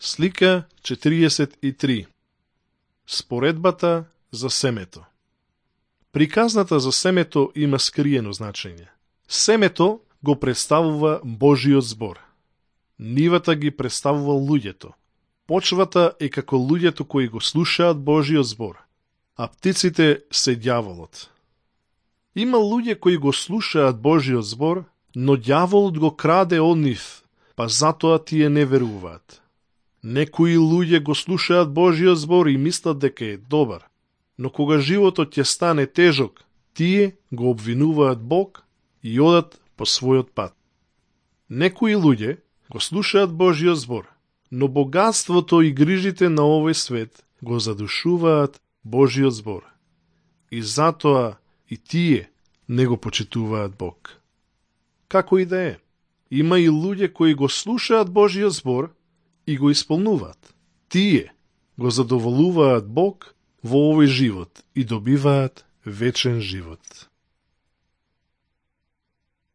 Слика 43. Споредбата за семето. Приказната за семето има скриено значење. Семето го представува Божиот збор. Нивата ги представува луѓето. Почвата е како луѓето кои го слушаат Божиот збор, а птиците се ѓаволот. Има луѓе кои го слушаат Божиот збор, но ѓаволот го краде од нив, па затоа тие не веруваат. Некои луѓе го слушаат Божиот збор и мислат дека е добар, но кога животот ќе стане тежок, тие го обвинуваат Бог и одат по својот пат. Некои луѓе го слушаат Божиот збор, но богатството и грижите на овој свет го задушуваат Божиот збор. И затоа и тие не го почитуваат Бог. Како и да е, има и луѓе кои го слушаат Божиот збор и го исполнуваат. Тие го задоволуваат Бог во овој живот и добиваат вечен живот.